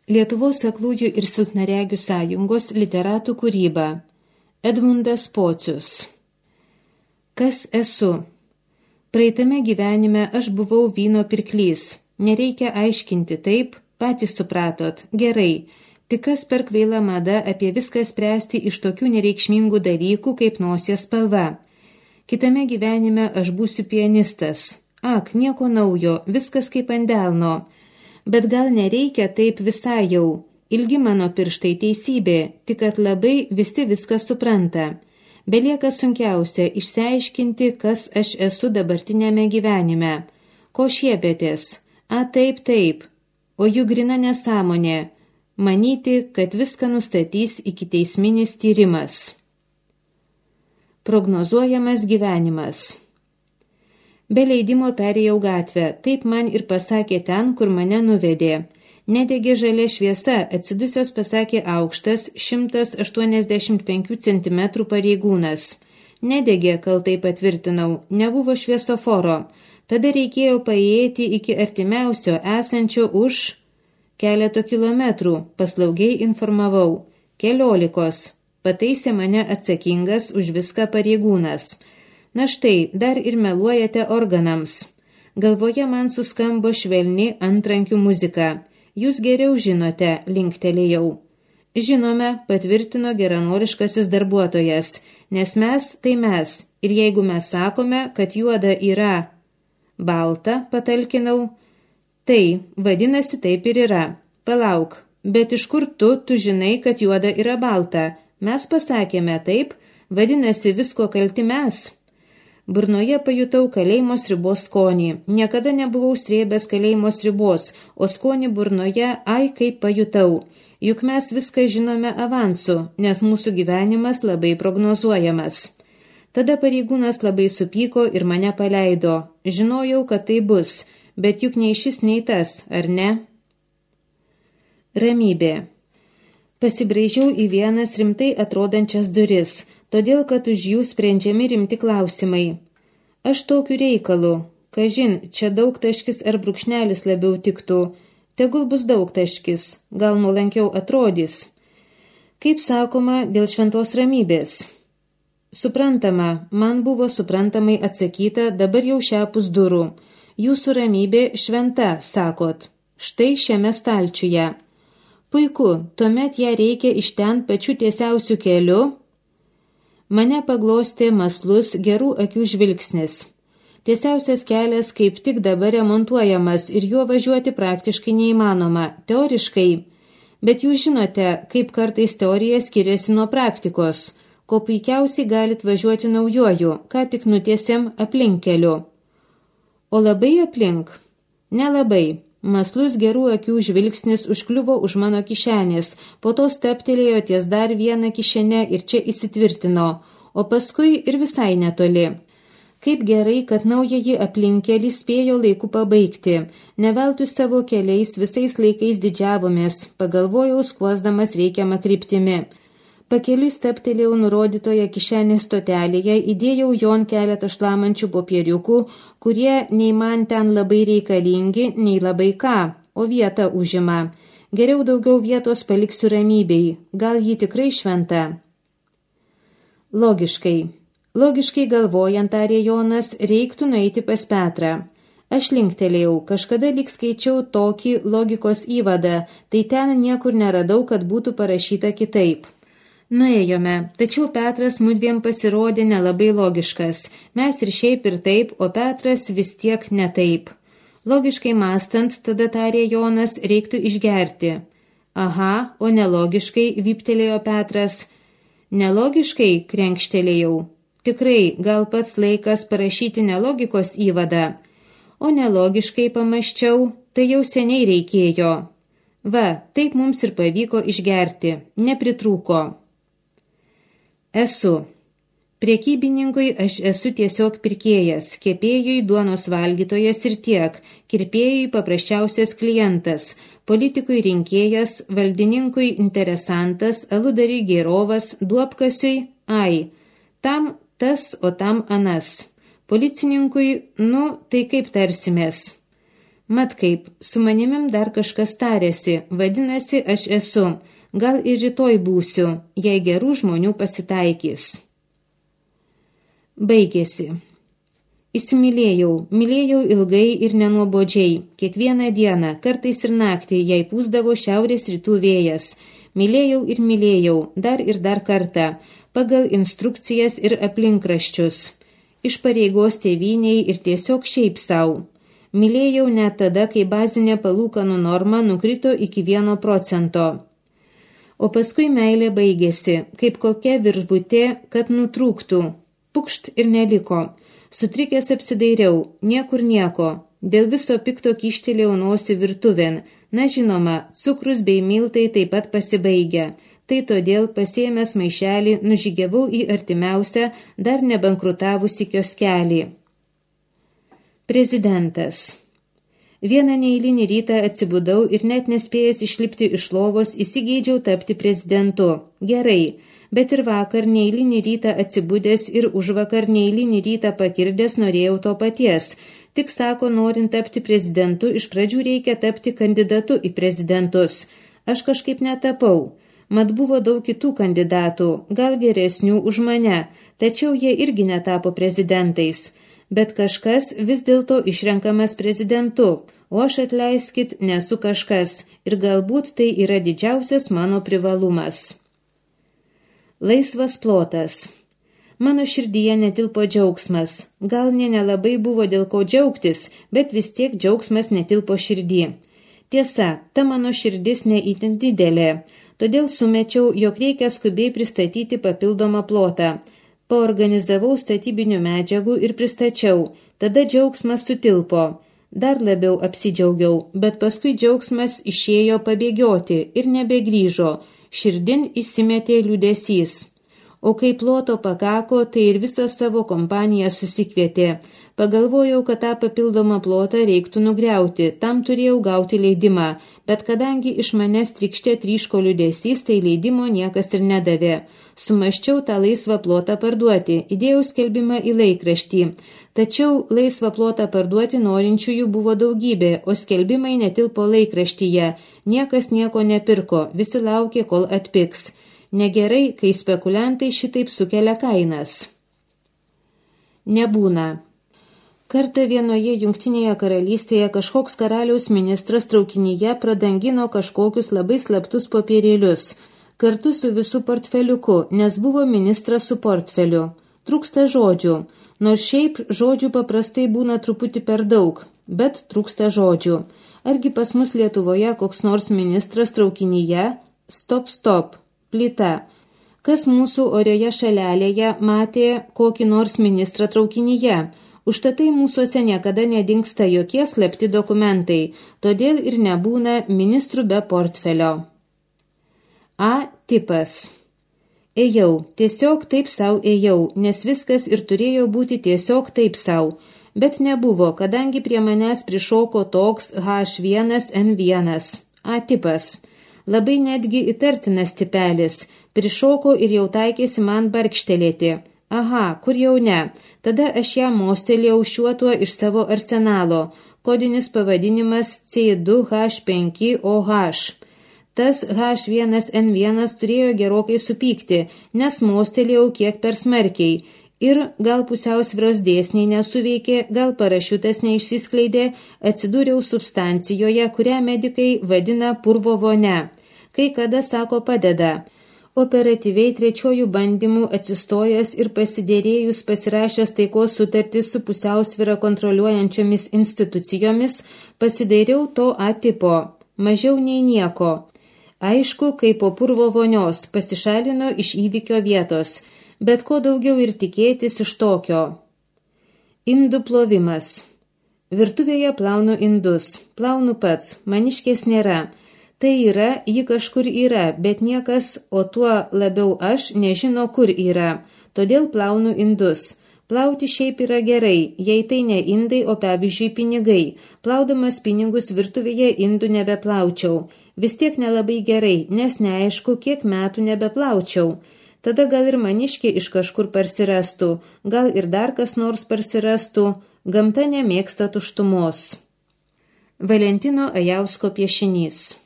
Lietuvos aklųjų ir silpnaregių sąjungos literatų kūryba. Edmundas Pocius. Kas esu? Praeitame gyvenime aš buvau vyno pirklys. Nereikia aiškinti, taip, patys supratot, gerai. Tik kas per kvaila mada apie viską spręsti iš tokių nereikšmingų dalykų kaip nosies spalva. Kitame gyvenime aš būsiu pianistas. Ak, nieko naujo, viskas kaip ant delno. Bet gal nereikia taip visai jau. Ilgi mano pirštai teisybė, tik kad labai visi viską supranta. Belieka sunkiausia išsiaiškinti, kas aš esu dabartinėme gyvenime. Ko šiepėtės? A, taip, taip. O juk grina nesąmonė. Manyti, kad viską nustatys ikiteisminis tyrimas. Prognozuojamas gyvenimas. Be leidimo perėjau gatvę, taip man ir pasakė ten, kur mane nuvedė. Nedegė žalia šviesa, atsidusios pasakė aukštas 185 cm pareigūnas. Nedegė, kaltai patvirtinau, nebuvo šviesoforo. Tada reikėjo paėjėti iki artimiausio esančio už keleto kilometrų, paslaugiai informavau. 14, pataisė mane atsakingas už viską pareigūnas. Na štai, dar ir meluojate organams. Galvoje man suskambo švelni antrankių muzika. Jūs geriau žinote, linktelėjau. Žinome, patvirtino geranoriškasis darbuotojas, nes mes tai mes, ir jeigu mes sakome, kad juoda yra balta, patalkinau, tai vadinasi taip ir yra. Palauk, bet iš kur tu žinai, kad juoda yra balta? Mes pasakėme taip, vadinasi visko kalti mes. Burnoje pajutau kalėjimo sriubos skonį. Niekada nebuvau srėbęs kalėjimo sriubos, o skonį burnoje, ai kaip pajutau. Juk mes viską žinome avansu, nes mūsų gyvenimas labai prognozuojamas. Tada pareigūnas labai supyko ir mane paleido. Žinojau, kad tai bus, bet juk nei šis, nei tas, ar ne? Ramybė. Pasibraižiau į vienas rimtai atrodančias duris, todėl, kad už jų sprendžiami rimti klausimai. Aš tokiu reikalu, kažin, čia daugtaškis ar brūkšnelis labiau tiktų, tegul bus daugtaškis, gal nuolankiau atrodys. Kaip sakoma, dėl šventos ramybės. Suprantama, man buvo suprantamai atsakyta dabar jau šiapus durų. Jūsų ramybė šventa, sakot, štai šiame stalčiuje. Puiku, tuomet ją reikia iš ten pačiu tiesiausiu keliu. Mane paglostė maslus gerų akių žvilgsnis. Tiesiausias kelias kaip tik dabar remontuojamas ir juo važiuoti praktiškai neįmanoma, teoriškai. Bet jūs žinote, kaip kartais teorija skiriasi nuo praktikos, ko puikiausiai galit važiuoti naujoju, ką tik nutiesėm aplinkkeliu. O labai aplink? Nelabai. Maslus gerų akių žvilgsnis užkliuvo už mano kišenės, po to steptelėjo ties dar vieną kišenę ir čia įsitvirtino, o paskui ir visai netoli. Kaip gerai, kad naująjį aplinkkelį spėjo laiku pabaigti. Neveltui savo keliais visais laikais didžiavomės, pagalvojau skuosdamas reikiamą kryptimi. Pakeliui steptelėjau nurodytoje kišenės stotelėje, įdėjau jon keletą šlamančių popieriukų, kurie nei man ten labai reikalingi, nei labai ką, o vietą užima. Geriau daugiau vietos paliksiu ramybei, gal ji tikrai šventa. Logiškai. Logiškai galvojant, tarė Jonas, reiktų nueiti pas Petrą. Aš linktelėjau, kažkada lyg skaičiau tokį logikos įvadą, tai ten niekur neradau, kad būtų parašyta kitaip. Nuėjome, tačiau Petras mudviem pasirodė nelabai logiškas. Mes ir šiaip ir taip, o Petras vis tiek ne taip. Logiškai mąstant, tada tarė Jonas, reiktų išgerti. Aha, o nelogiškai, vyptelėjo Petras. Nelogiškai, krenkštelėjau. Tikrai, gal pats laikas parašyti nelogikos įvadą. O nelogiškai pamąsčiau, tai jau seniai reikėjo. Va, taip mums ir pavyko išgerti, nepritrūko. Esu. Prekybininkui aš esu tiesiog pirkėjas, kepėjui duonos valgytojas ir tiek, kirpėjui paprasčiausias klientas, politikui rinkėjas, valdininkui interesantas, aludariui gėrovas, duobkasiui, ai, tam tas, o tam anas. Policininkui, tai kaip tarsimės. Mat kaip, su manimim dar kažkas tarėsi, vadinasi, aš esu, gal ir rytoj būsiu, jei gerų žmonių pasitaikys. Baigėsi. Įsimylėjau, mylėjau ilgai ir nenuobodžiai, kiekvieną dieną, kartais ir naktį, jei pūsdavo šiaurės rytų vėjas. Mylėjau, dar kartą, pagal instrukcijas ir aplinkraščius. Iš pareigos tėvyniai ir tiesiog šiaip sau. Mylėjau net tada, kai bazinė palūkanų norma nukrito iki 1%. O paskui meilė baigėsi, kaip kokia virvutė, kad nutrūktų. Pukšt ir neliko. Sutrikęs apsidairiau, niekur nieko. Dėl viso pikto kyštelėjau nosį virtuvėn. Na žinoma, cukrus bei miltai taip pat pasibaigia. Tai todėl pasiėmęs maišelį nužygiavau į artimiausią, dar nebankrutavusi kioskelį. Prezidentas. Vieną neeilinį rytą atsibudau ir net nespėjęs išlipti iš lovos įsigeidžiau tapti prezidentu. Gerai, bet ir vakar neeilinį rytą atsibudęs ir užvakar neeilinį rytą pakirdęs norėjau to paties. Tik sako, norint tapti prezidentu, iš pradžių reikia tapti kandidatu į prezidentus. Aš kažkaip netapau. Mat buvo daug kitų kandidatų, gal geresnių už mane, tačiau jie irgi netapo prezidentais. Bet kažkas vis dėlto išrenkamas prezidentu, o aš atleiskit, nesu kažkas ir galbūt tai yra didžiausias mano privalumas. Laisvas plotas. Mano širdyje netilpo džiaugsmas. Gal nelabai buvo dėl ko džiaugtis, bet vis tiek džiaugsmas netilpo širdį. Tiesa, ta mano širdis neįtin didelė. Todėl sumečiau, jog reikia skubiai pristatyti papildomą plotą. Paorganizavau statybinių medžiagų ir pristačiau. Tada džiaugsmas sutilpo. Dar labiau apsidžiaugiau, bet paskui džiaugsmas išėjo pabėgioti ir nebegrįžo. Širdin įsimetė liūdesys. O kai ploto pakako, tai ir visą savo kompaniją susikvietė. Pagalvojau, kad tą papildomą plotą reiktų nugriauti, tam turėjau gauti leidimą, bet kadangi iš manęs trykštė tryško liūdesys, tai leidimo niekas ir nedavė. Sumaščiau tą laisvą plotą parduoti, įdėjau skelbimą į laikraštį. Tačiau laisvą plotą parduoti norinčiųjų buvo daugybė, o skelbimai netilpo laikraštyje. Niekas nieko nepirko, visi laukė, kol atpigs. Negerai, kai spekuliantai šitaip sukelia kainas. Nebūna. Kartą vienoje Jungtinėje karalystėje kažkoks karaliaus ministras traukinyje pradangino kažkokius labai slaptus popierėlius, kartu su visų portfeliuku, nes buvo ministras su portfeliu. Trūksta žodžių, nors šiaip žodžių paprastai būna truputį per daug, bet trūksta žodžių. Argi pas mus Lietuvoje koks nors ministras traukinyje? Stop. Plyta. Kas mūsų orioje šalelėje matė kokį nors ministrą traukinyje? Užtatai mūsuose niekada nedingsta jokie slapti dokumentai, todėl ir nebūna ministrų be portfelio. A tipas. Ėjau, tiesiog taip sau ėjau, nes viskas ir turėjo būti tiesiog taip sau, bet nebuvo, kadangi prie manęs prišoko toks H1N1. A tipas. Labai netgi įtartinas tipelis, prišoko ir jau taikėsi man barkštelėti. Aha, kur jau ne, tada aš ją mostelėjau šiuo tuo iš savo arsenalo, kodinis pavadinimas C2H5OH. Tas H1N1 turėjo gerokai supykti, nes mostelėjau kiek per smarkiai. Ir gal pusiausvyros dėsniai nesuveikė, gal parašiutas neišsiskleidė, atsidūriau substancijoje, kurią medikai vadina purvo vonia. Kai kada sako padeda. Operatyviai trečiojų bandymų atsistojęs ir pasidėrėjus pasirašęs taikos sutartį su pusiausvyrą kontroliuojančiomis institucijomis, pasidairiau to A tipo. Mažiau nei nieko. Aišku, kaip po purvo vonios pasišalino iš įvykio vietos. Bet ko daugiau ir tikėtis iš tokio. Indų plovimas. Virtuvėje plaunu indus. Plaunu pats, maniškės nėra. Tai yra, ji kažkur yra, bet niekas, o tuo labiau aš, nežino, kur yra. Todėl plaunu indus. Plauti šiaip yra gerai, jei tai ne indai, o pavyzdžiui pinigai. Plaudamas pinigus virtuvėje indų nebeplaučiau. Vis tiek nelabai gerai, nes neaišku, kiek metų nebeplaučiau. Tada gal ir maniškė iš kažkur parsirastų, gal ir dar kas nors parsirastų, gamta nemėgsta tuštumos. Valentino Ajausko piešinys.